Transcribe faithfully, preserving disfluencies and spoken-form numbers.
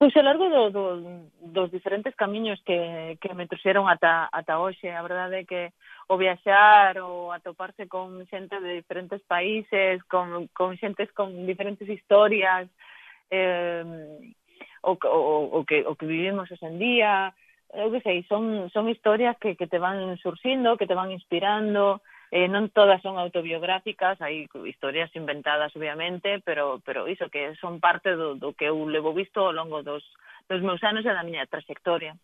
Pois ao largo do, do, dos diferentes camiños que, que me trouxeron ata, ata hoxe, a verdade é que o viaxar, o atoparse con xente de diferentes países, con, con xentes con diferentes historias, eh, o, o, o, que, o que vivimos hoxe en día, eu que sei, son, son historias que, que te van surxindo, que te van inspirando, eh, non todas son autobiográficas, hai historias inventadas, obviamente, pero, pero iso, que son parte do, do que eu levo visto ao longo dos, dos meus anos e da miña trayectoria.